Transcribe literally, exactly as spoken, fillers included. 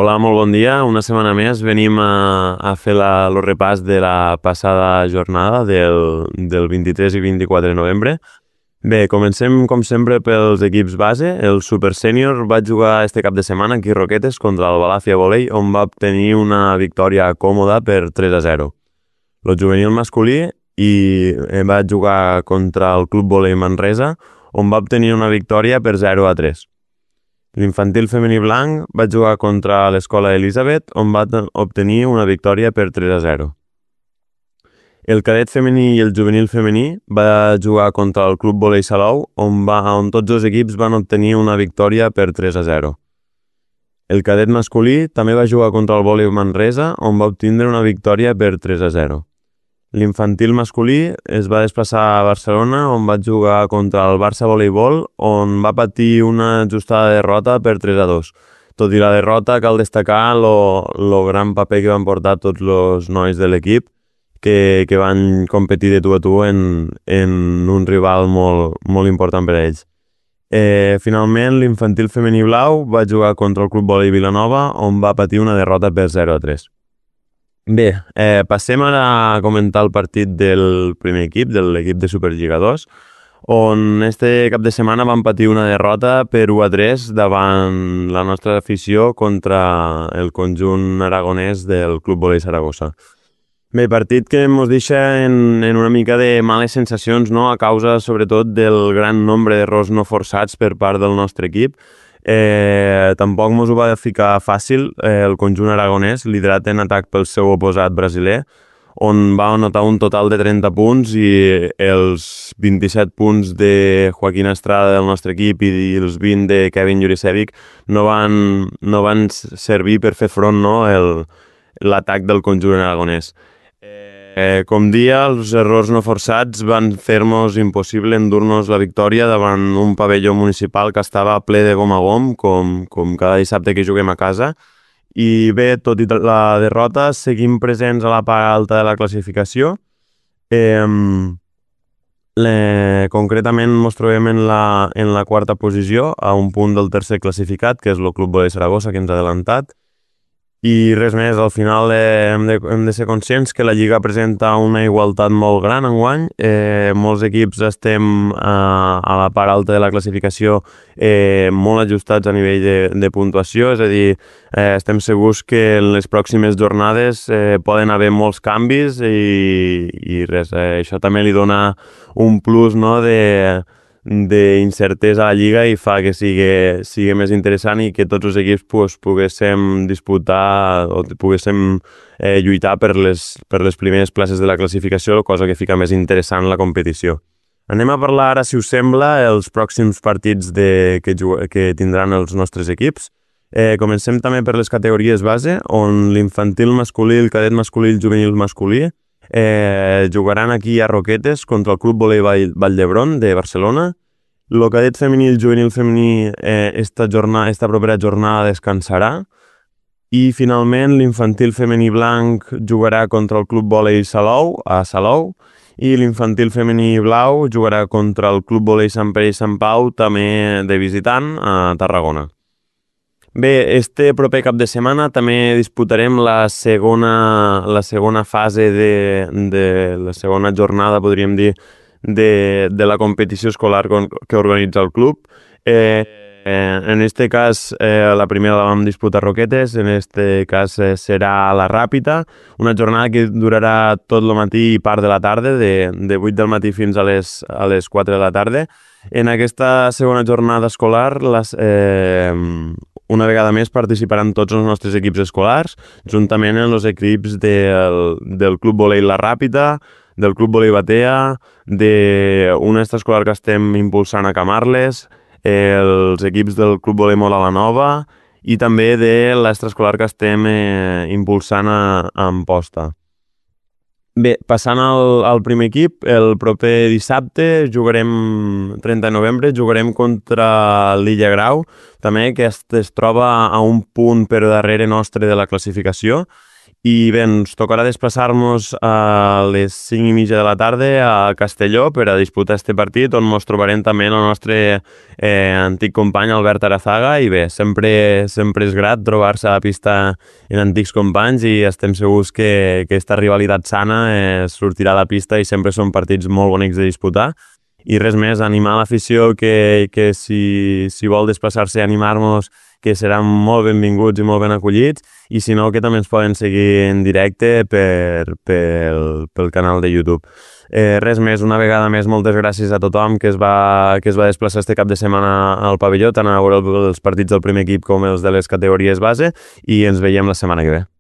Hola, molt bon dia. Una setmana més venim a, a fer la, el repàs de la passada jornada del, del vint-i-tres i vint-i-quatre de novembre. Bé, comencem com sempre pels equips base. El Super Sènior va jugar este cap de setmana aquí a Roquetes contra el Balàfia Volei, on va obtenir una victòria còmoda per tres a zero. El juvenil masculí i eh, va jugar contra el Club Volei Manresa, on va obtenir una victòria per zero a tres. L'infantil femení blanc va jugar contra l'Escola Elisabet, on va obtenir una victòria per tres a zero. El cadet femení i el juvenil femení va jugar contra el Club Volei Salou, on, va, on tots els equips van obtenir una victòria per tres a zero. El cadet masculí també va jugar contra el Volei Manresa, on va obtindre una victòria per tres a zero. L'infantil masculí es va desplaçar a Barcelona, on va jugar contra el Barça Voleibol, on va patir una ajustada derrota per tres a dos. Tot i la derrota, cal destacar el gran paper que van portar tots els nois de l'equip, que, que van competir de tu a tu en, en un rival molt, molt important per a ells. Eh, finalment, l'infantil femení blau va jugar contra el Club Volei Vilanova, on va patir una derrota per zero a tres. Bé, eh, passem ara a comentar el partit del primer equip, de l'equip de Superliga dos, on este cap de setmana van patir una derrota per u a tres davant la nostra afició contra el conjunt aragonès del Club Volei Saragossa. Bé, partit que ens deixa en, en una mica de males sensacions, no? A causa sobretot del gran nombre d'errors no forçats per part del nostre equip. Eh, tampoc mos ho va ficar fàcil eh, el conjunt aragonès, liderat en atac pel seu oposat brasiler, on va anotar un total de trenta punts i els vint-i-set punts de Joaquín Estrada del nostre equip i els vint de Kevin Jurisevic no van, no van servir per fer front, no, el, l'atac del conjunt aragonès. Eh, com dia, els errors no forçats van fer-nos impossible endur-nos la victòria davant un pavelló municipal que estava ple de gom a gom, com, com cada dissabte que juguem a casa. I bé, tot i la derrota, seguim presents a la part alta de la classificació. Eh, le, concretament ens trobem en la, en la quarta posició, a un punt del tercer classificat, que és el Club Volei Saragossa, que ens ha adelantat. I res més, al final eh, hem, de, hem de ser conscients que la Lliga presenta una igualtat molt gran enguany. Eh, molts equips estem a, a la part alta de la classificació eh, molt ajustats a nivell de, de puntuació, és a dir, eh, estem segurs que en les pròximes jornades eh, poden haver molts canvis i, i res, eh, això també li dona un plus, no, de... d'incertesa a la Lliga i fa que sigui, sigui més interessant i que tots els equips pues, poguéssim disputar o poguéssim eh, lluitar per les, per les primeres places de la classificació, cosa que fica més interessant la competició. Anem a parlar ara, si us sembla, els pròxims partits de, que, que tindran els nostres equips. Eh, comencem també per les categories base, on l'infantil masculí, el cadet masculí i el juvenil masculí Eh, jugaran aquí a Roquetes contra el Club Volei Vall, Vall d'Hebron de Barcelona. El cadet femení i el juvenil femení eh, esta, jornada, esta propera jornada descansarà. I finalment l'infantil femení blanc jugarà contra el Club Volei Salou a Salou i l'infantil femení blau jugarà contra el Club Volei Sant Pere i Sant Pau, també de visitant, a Tarragona. Bé, este proper cap de setmana també disputarem la segona, la segona fase de, de la segona jornada, podríem dir, de, de la competició escolar que organitza el club. Eh, eh, en este cas, eh, la primera la vam disputar a Roquetes, en este cas eh, serà a la Ràpita, una jornada que durarà tot el matí i part de la tarda, de, de vuit del matí fins a les, a les quatre de la tarda. En aquesta segona jornada escolar, les, eh, una vegada més participaran tots els nostres equips escolars, juntament amb els equips del, del Club Volei La Ràpita, del Club Volei Batea, d'una extraescolar que estem impulsant a Camarles, els equips del Club Volei Mola la Nova i també de l'extraescolar que estem eh, impulsant a, a Amposta. Bé, passant al, al primer equip, el proper dissabte jugarem, trenta de novembre, jugarem contra l'Illa Grau, també que es, es troba a un punt per darrere nostre de la classificació I bé, ens tocarà desplaçar-nos a les cinc i mitja de la tarda a Castelló per a disputar este partit, on ens trobarem també el nostre eh, antic company Albert Arazaga, i bé, sempre, sempre és grat trobar-se a la pista en antics companys i estem segurs que, que aquesta rivalitat sana eh, sortirà a la pista i sempre són partits molt bonics de disputar. I res més, animar l'afició que, que si, si vol desplaçar-se i animar-nos, que seran molt benvinguts i molt ben acollits, i si no, que també ens poden seguir en directe per, pel, pel canal de YouTube. Eh, res més, una vegada més, moltes gràcies a tothom que es va, que es va desplaçar este cap de setmana al pavelló, tant a veure els partits del primer equip com els de les categories base, i ens veiem la setmana que ve.